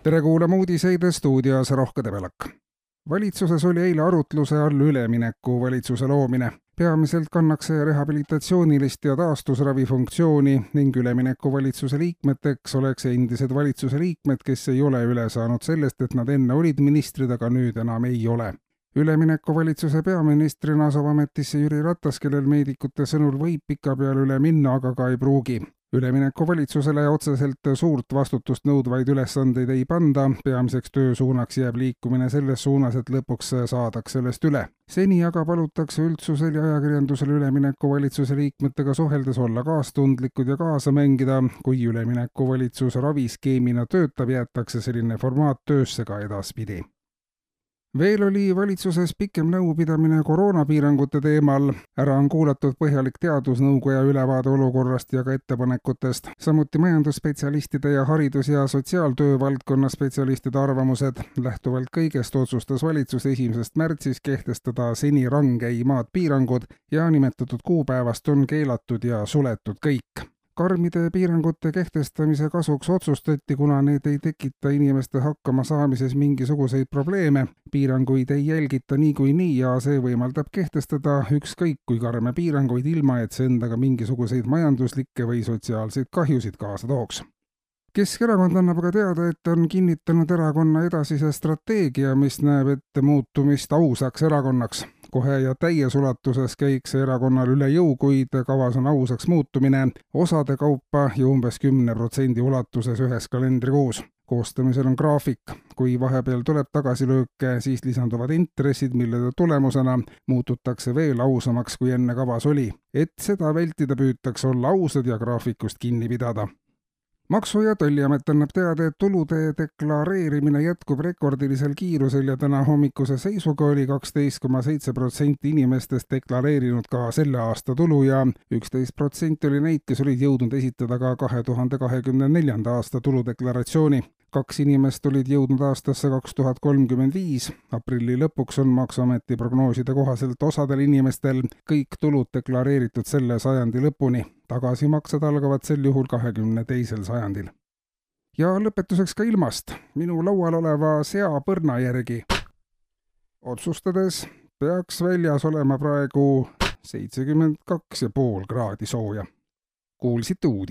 Tere kuulama uudiseid stuudios Rohke Debelak. Valitsuses oli eile arutluse all ülemineku valitsuse loomine. Peamiselt kannaks see rehabilitatsioonilist ja taastusravi funktsiooni ning ülemineku valitsuse liikmeteks oleks endised valitsuse liikmed, kes ei ole üle saanud sellest, et nad enne olid ministrid, aga nüüd enam ei ole. Ülemineku valitsuse peaministrina asub ametisse Jüri Ratas, kellel meedikute sõnul võib pikapeale üle minna, aga ka ei pruugi. Ülemineku valitsusele otseselt suurt vastutust nõudvaid ülesandeid ei panda, peamiseks töösuunaks jääb liikumine selles suunas, et lõpuks saadaks sellest üle. Seni aga palutakse üldsusel ja ajakirjandusel ülemineku valitsuse liikmetega suheldes olla kaastundlikud ja kaasa mängida. Kui ülemineku valitsus raviskeemina töötab, jäetakse selline formaat töösse ka edaspidi. Veel oli valitsuses pikem nõupidamine koroonapiirangute teemal. Ära on kuulatud põhjalik teadusnõukoja ülevaade olukorrast ja ka ettepanekutest. Samuti majandusspetsialistide ja haridus- ja sotsiaaltöö valdkonna spetsialistide arvamused. Lähtuvalt kõigest otsustas valitsus 1. märtsis kehtestada seni rangeimad piirangud ja nimetatud kuupäevast on keelatud ja suletud kõik. Karmide piirangute kehtestamise kasuks otsustati, kuna need ei tekita inimeste hakkama saamises mingisuguseid probleeme. Piiranguid ei jälgita niikuinii ja see võimaldab kehtestada ükskõik kui karme piiranguid ilma, et see endaga mingisuguseid majanduslikke või sotsiaalseid kahjusid kaasa tooks. Keskerakond annab aga teada, et on kinnitanud erakonna edasise strateegia, mis näeb ette muutumist ausaks erakonnaks. Kohe ja täies ulatuses käiks erakonnal üle jõu, kuid kavas on ausaks muutumine osade kaupa ja umbes 10% ulatuses ühes kalendrikuus. Koostamisel on graafik. Kui vahepeal tuleb tagasilööke, siis lisanduvad intressid, mille tulemusena muututakse veel ausamaks, kui enne kavas oli. Et seda vältida, püütakse olla ausad ja graafikust kinni pidada. Maksu- ja Tolliamet annab teada, et tulude deklareerimine jätkub rekordilisel kiirusel ja täna hommikuse seisuga oli 12,7% inimestest deklareerinud ka selle aasta tulu ja 11% oli neid, kes olid jõudnud esitada ka 2024. aasta tuludeklaratsiooni. 2 inimest olid jõudnud aastasse 2035. Aprilli lõpuks on Maksuameti prognooside kohaselt osadel inimestel kõik tulud deklareeritud selle sajandi lõpuni. Tagasimaksed algavad sel juhul 22. sajandil. Ja lõpetuseks ka ilmast. Minu laual oleva seapõrna järgi otsustades peaks väljas olema praegu 72,5 kraadi sooja. Kuulsite uudis.